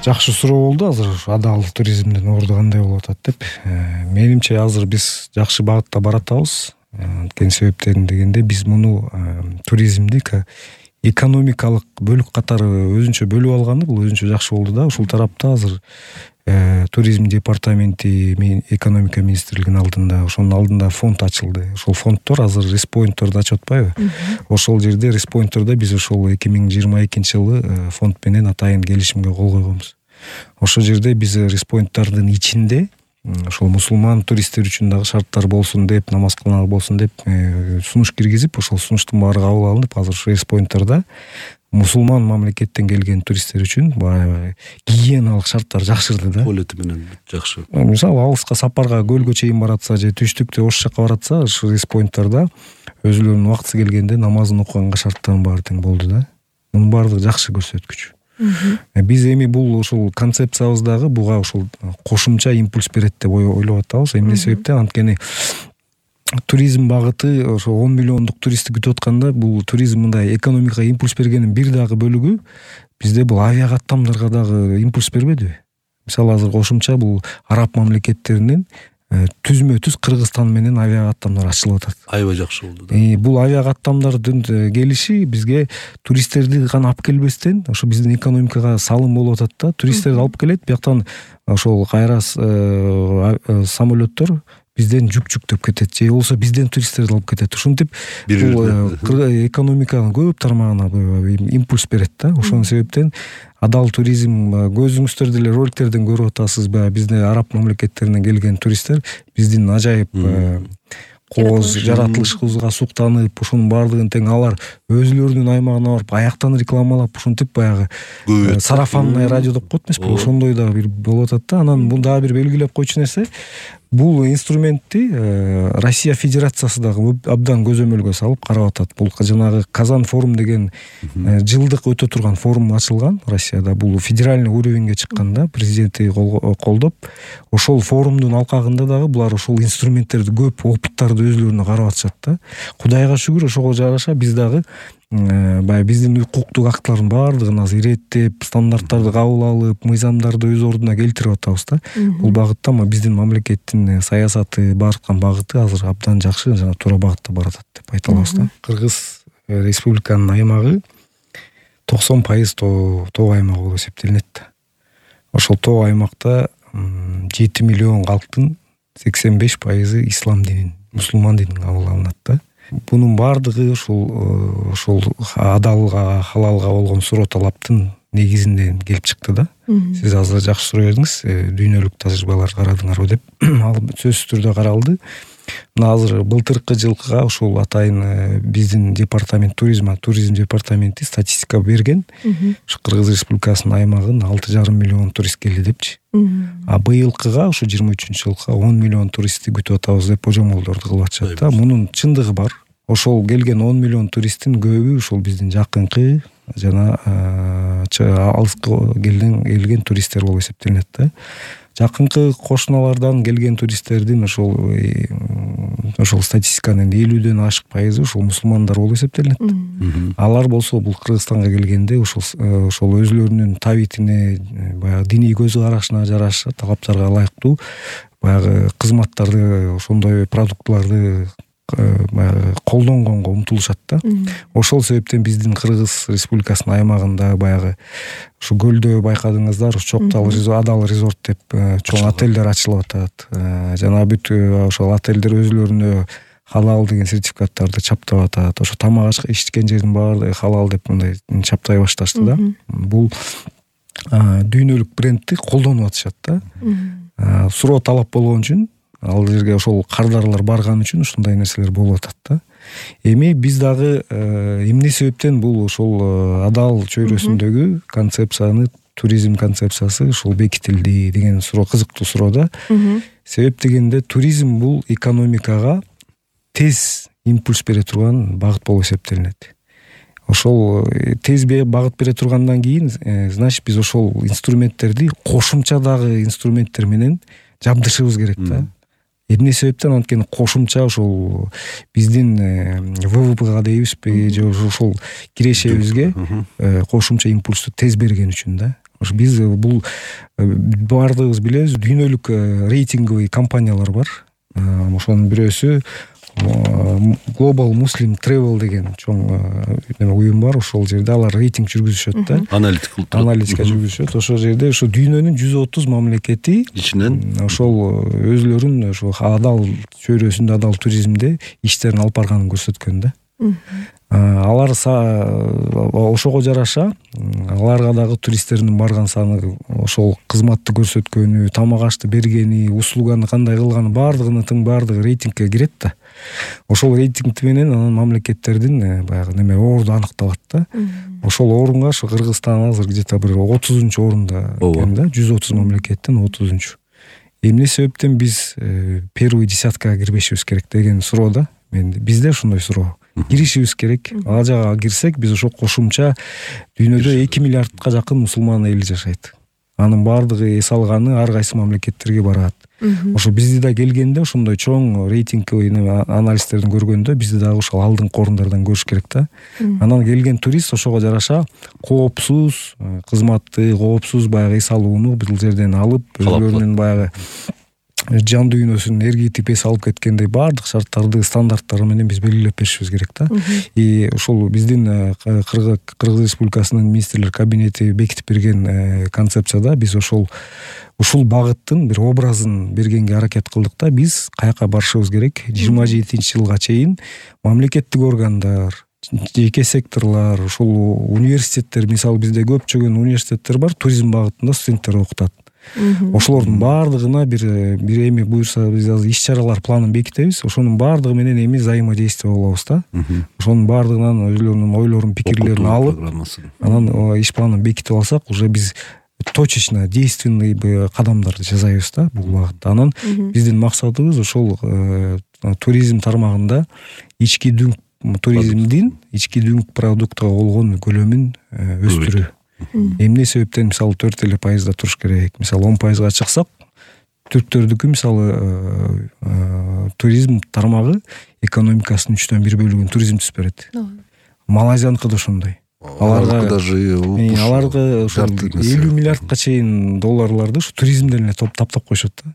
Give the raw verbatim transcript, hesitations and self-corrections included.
Жакшы суроо болду азыр адал туризмдин орду кандай болуп атат деп. Менимче азыр биз жакшы багытта баратабыз. Анткени себептери дегенде биз муну туризмди экономикалык бөлүк катары өзүнчө бөлүп алганы бул өзүнчө жакшы болду да. Ушул тарапта азыр туризм департаменти мен экономика министрлигинин алдында ошонун алдында фонд ачылды. Ошол фонддор азыр респоинтторду ачып атпайбы? Ошол жерде респоинттордо биз ошол эки миң жыйырма экинчи жылы фонд менен атайын келишимге кол койгонбуз. Ошол жерде биз респоинттордун ичинде ошол мусулман туристтер үчүн дагы шарттар болсун деп, намаз кылмак болсун деп сунуш киргизип, ошол сунуштун баары кабыл алынып, азыр ошол респоинттордо мусулман мамлекеттен келген туристтер үчүн баягы гигиеналык шарттар жакшырды да. Туалети менен жакшы. Мисалы алыска сапарга көлгө чейин баратса же түштүктө ош жакка баратса, ошол респоинттордо өзүлөрүнүн убактысы келгенде намазын окуганга шарттардын баары тең болду да. Мунун баардыгы жакшы көрсөткүч. Биз эми бул ошол концепциябыздагы буга ошол кошумча импульс берет деп ойлоп атабыз. Эмне себептен? Анткени туризм багыты ошо он миллиондук туристти күтүп атканда бул туризм мындай экономикага импульс бергенин бир дагы бөлүгү бизде бул авиа каттамдарга дагы импульс бербедиби? Мисалы азыр кошумча бул араб мамлекеттеринин түзмө түз Кыргызстан менен авиа каттамдар ачылып атат. Аябай жакшы болду да. Бул авиа каттамдардын келиши бизге туристтерди гана алып келбестен ошо биздин экономикага салым болуп атат да. Туристтерди алып келет, бияктан ошол кайра самолеттор бизден жүк жүктөп кетет же болбосо бизден туристтерди алып кетет. Ушинтип бул экономиканын көп тармагына импульс берет да. Ошон себептен адал туризм көзүңүздөр деле роликтерден көрүп атасыз ба, бизде араб мамлекеттеринен келген туристтер биздин ажайып кооз жаратылышыбызга суктанып, ошонун баардыгын тең алар өзүлөрүнүн аймагына барып аяктан рекламалап, ушинтип баягы сарафанный радио деп коет эмеспи? Ошондой да бир болуп атат да. Анан бул дагы бир белгилеп койчу нерсе, бул инструментти Россия Федерациясы дагы абдан көзөмөлгө салып карап атат. Бул жанагы Казан форум деген жылдык өтө турган форум ачылган Россияда. Бул федеральный уровеньге чыкканда президенти колдоп, ошол форумдун алкагында дагы булар ошол инструменттерди көп опыттарды өзүлөрүнө карап атышат да. Кудайга шүгүр, ошого жараша биз дагы баягы биздин укуктук актылардын баардыгын азыр иреттеп, стандарттарды кабыл алып, мыйзамдарды өз ордуна келтирип атабыз да. Бул багытта биздин мамлекеттин саясаты, бараткан багыты азыр абдан жакшы, жана туура багытта баратат деп айта алабыз да. Кыргыз республиканын аймагы токсон пайыз тоо аймак болуп эсептелинет. Ошол тоо аймакта жети миллион калктын сексен беш пайызы ислам динин, мусулман динин кабыл алынат да. Бунун баардыгы ошол ошол адалга, халалга болгон суроо талаптын негизинен келип чыкты да. Сиз азыр жакшы суроо бердиңиз, дүйнөлүк тажрыйбалар карадыңарбы деп. Ал сөзсүз түрдө каралды. Мына азыр былтыркы жылкыга ошол атайын биздин департамент туризм, туризм департаменти статистика берген. Ушу Кыргыз Республикасынын аймагын алты жарым миллион турист келди депчи. А быйылкыга ошо жыйырма үчүнчү жылкыга он миллион туристти күтүп атабыз деп божомолдорду кылып атышат да. Мунун чындыгы бар. Ошол келген он миллион туристтин көбү ошол биздин жакынкы жана алыска келген келген туристтер болуп эсептелинет да. Жакынкы кошуналардан келген туристтердин ошол ошол статистиканын элүүдөн ашык пайызы ошол мусулмандар болуп эсептелинет. Алар болсо бул Кыргызстанга келгенде ошол ошол өзүлөрүнүн табитине, баягы диний көз карашына жараша талаптарга ылайыктуу баягы кызматтарды, ошондой продуктыларды баягы колдонгонго умтулушат да. Ошол себептен биздин Кыргыз Республикасынын аймагында баягы ушу көлдө байкадыңыздар, Чоктал адал резорт деп чоң отелдер ачылып атат. Жана бүт ошол отелдер өзүлөрүнө халал деген сертификаттарды чаптап атат. Ошо тамак ичкен жердин баардыгы халал деп мындай чаптай башташты да. Бул дүйнөлүк брендти колдонуп атышат да. Суроо талап болгон үчүн, ал жерге ошол кардарлар барган үчүн ушундай нерселер болуп атат да. Эми биз дагы эмне себептен бул ошол адал чөйрөсүндөгү концепцияны, туризм концепциясы ушул бекитилди деген суроо кызыктуу суроо да. Себеп дегенде туризм бул экономикага тез импульс бере турган багыт болуп эсептелинет. Ошол тез багыт бере тургандан кийин, значит, биз ошол инструменттерди кошумча дагы инструменттер менен жабдышыбыз керек да. Эмне себептен? Анткени кошумча ошол биздин ВВПга дейбизби же ошол кирешебизге кошумча импульсту тез берген үчүн да. Ошо биз бул баардыгыбыз билебиз, дүйнөлүк рейтинговый компаниялар бар. Ошонун бирөөсү Global Muslim Travel деген чоң неме уюм бар. Ошол жерде алар рейтинг жүргүзүшөт да. Аналитика аналитика жүргүзүшөт. Ошол жерде ошо дүйнөнүн жүз отуз мамлекети ичинен ошол өзүлөрүн ошо адал чөйрөсүндө, адал туризмде иштерин алып барганын көрсөткөн да. Алар ошого жараша аларга дагы туристтердин барган саны, ошол кызматты көрсөткөнү, тамак ашты бергени, услуганы кандай кылганы баардыгынын баардыгы рейтингке кирет да. Ошол рейтинг менен анан мамлекеттердин баягы неме орду аныкталат да. Ошол орунга ошо Кыргызстан азыр где-то бир отузунчу орунда экен да, жүз отуз мамлекеттен отузунчу. Эмне себептен биз первый десяткага кирбешибиз керек деген суроо да. Мен бизде ошондой суроо. Киришибиз керек. Ал жака кирсек, биз ошо кошумча дүйнөдө эки миллиардка жакын мусулман эли жашайт. Анын баардыгы эс алганы ар кайсы мамлекеттерге барат. Ошо бизди да келгенде ошондой чоң рейтинговый анализтердин көргөндө бизди дагы ошол алдыңкы орундардан көрүш керек да. Анан келген турист ошого жараша коопсуз кызматты, коопсуз баягы эс алууну бул жерден алып, өзүлөрүнүн баягы жан дүйнөсүн эргитип эс алып кеткендей баардык шарттарды, стандарттары менен биз белгилеп беришибиз керек да. И ошол биздин Кыргыз Республикасынын министрлер кабинети бекитип берген концепцияда биз ошол ушул багыттын бир образын бергенге аракет кылдык да. Биз каяка барышыбыз керек? жыйырма жетинчи жылга чейин мамлекеттик органдар, жеке секторлар, ушул университеттер, мисалы бизде көпчөгөн университеттер бар, туризм багытында студенттер окутат. Ошолордун баардыгына бир бир эми буюрса биз азыр иш-чаралар планын бекитебиз. Ошонун баардыгы менен эми взаимодействие болобуз да. Ошонун баардыгынан өзүлөрүнүн ойлорун, пикирлерин алып, анан иш планын бекитип алсак, уже биз точечно действенный кадамдарды жасайбыз да бул багытта. Анан биздин максатыбыз ошол туризм тармагында ички дүң туризмдин ички дүң продуктка болгон көлөмүн өстүрүү. Эмне себептен мисалы төрт эле пайызда туруш керек. Мисалы он пайызга чыксак, түрктөрдүкү мисалы туризм тармагы экономикасынын үчтөн бир бөлүгүн туризм түзүп берет. Малайзияныкы да ошондой. Аларга даже аларга элүү миллиардка чейин долларларды ушу туризмден эле таптап коюшат да.